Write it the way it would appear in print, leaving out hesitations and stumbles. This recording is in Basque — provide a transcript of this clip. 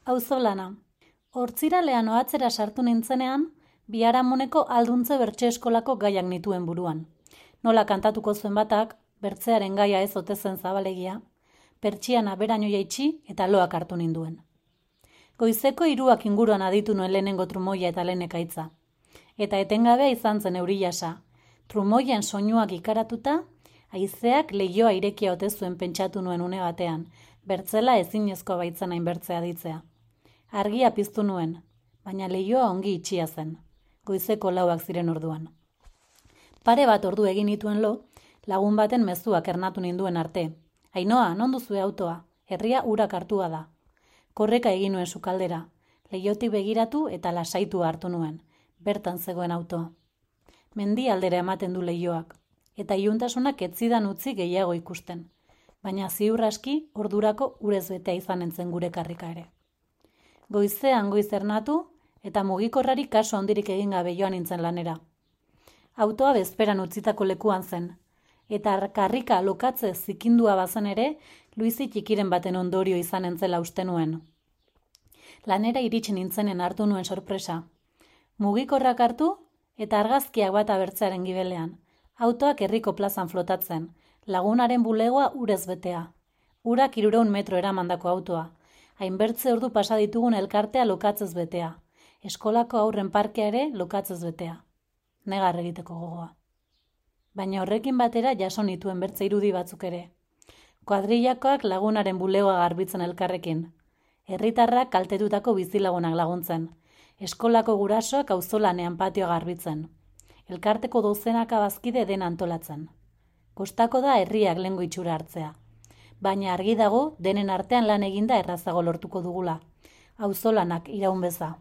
Auzolana. Hortziralean ohatzera sartu nintzenean, biharamuneko alduntze bertxe eskolako gaiak nituen buruan. Nola kantatuko zuen batak, bertzearen gaia ez ote zen zabalegia, pertsiana beraino jaitsi eta loak hartu ninduen. Goizeko 3 inguruan aditu nuen lehenengo trumoia eta lehen ekaitza. Eta etengabea izan zen euri jasa. Trumoien soinuak ikaratuta, haizeak leihoa irekia ote zuen pentsatu nuen une batean, bertzela ezinezko baitzen hain bertzea ditzea. Argia piztu nuen, baina leihoa ongi itxia zen. Goizeko 4 ziren orduan. Pare bat ordu egin nituen lo, lagun baten mezuak ernatu ninduen arte. Ainoa, non duzue autoa? Herria urak hartua da. Korreka egin nuen sukaldera. Leihotik begiratu eta lasaitu hartu nuen. Bertan zegoen autoa. Mendi aldera ematen du leihoak. Eta iluntasunak ez zidan utzi gehiago ikusten. Baina ziur aski ordurako urez betea izanen zen gure karrika ere. Goizean goiz ernatu eta mugikorrari kaso handirik egin gabe joan nintzen lanera. Autoa bezperan utzitako lekuan zen. Eta karrika lokatze zikindua bazen ere, Luizi txikiren baten ondorio izanen zela uste nuen. Lanera iritsi nintzenen hartu nuen sorpresa. Mugikorrak hartu eta argazkiak bat abertzearen gibelean. Autoak herriko plazan flotatzen, lagunaren bulegoa urez betea. Urak 300 metro eramandako autoa. Hainbertze ordu pasa ditugun elkartea lokatzez betea. Eskolako aurren parkea ere lokatzez betea. Negar egiteko gogoa. Baina horrekin batera jaso nituen bertze irudi batzuk ere. Kuadrillakoak lagunaren bulegoa garbitzen elkarrekin. Herritarrak kaltetutako bizilagunak laguntzen. Eskolako gurasoak auzolanean patioa garbitzen. Elkarteko dozenaka bazkide dena antolatzen. Kostako da herriak lehengo itxura hartzea. Baina argi dago denen artean lan eginda errazago lortuko dugula. Auzolanak iraun beza.